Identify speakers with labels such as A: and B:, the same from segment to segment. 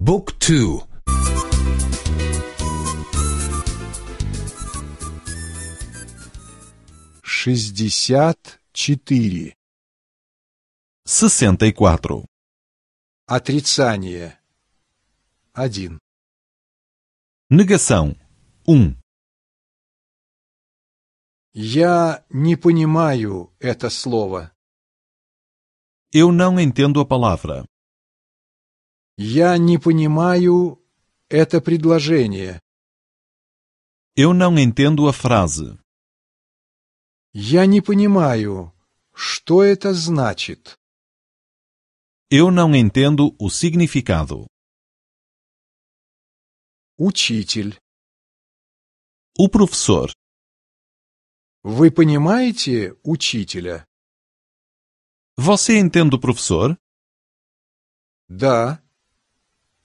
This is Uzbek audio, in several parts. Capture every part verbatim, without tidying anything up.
A: Book two.
B: Шестьдесят четыре.
C: Sessenta e quatro.
B: Отрицание. Один.
C: Negação. Um.
B: Я не понимаю это слово.
C: Eu não entendo a palavra.
B: Я не понимаю это предложение.
C: Eu não entendo a frase.
B: Я не понимаю, что это значит.
C: Eu não entendo o significado.
B: Учитель.
C: O professor.
B: Вы понимаете учителя?
C: Você entende o professor?
B: Да.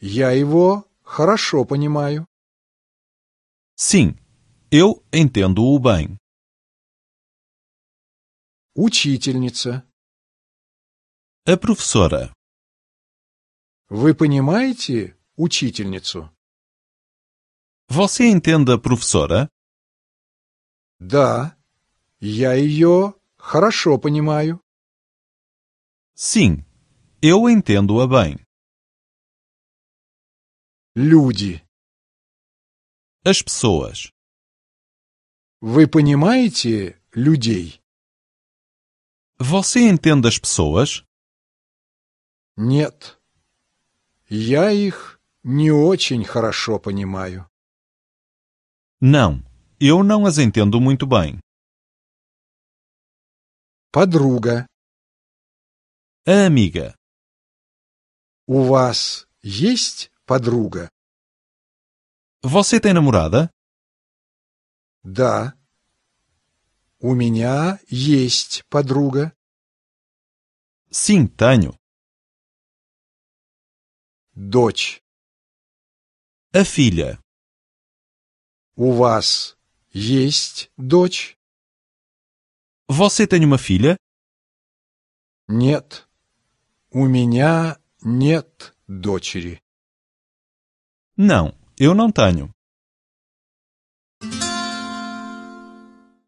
B: Я его хорошо понимаю.
C: Sim, eu entendo-o bem.
B: Учительница.
C: A professora.
B: Вы понимаете учительницу?
C: Você entende a professora?
B: Да, я ее хорошо понимаю.
C: Sim, eu entendo-a bem.
B: Люди.
C: As pessoas.
B: Вы понимаете людей?
C: Você entende as pessoas?
B: Нет. Я их не очень хорошо понимаю.
C: Não, eu não as entendo muito bem.
B: Подруга.
C: A amiga.
B: У вас есть подруга?
C: Você tem namorada?
B: Да. У меня есть подруга.
C: Sim, tenho.
B: Дочь.
C: A filha.
B: У вас есть дочь?
C: Você tem uma filha?
B: Нет. У меня нет дочери.
C: Não, eu não tenho.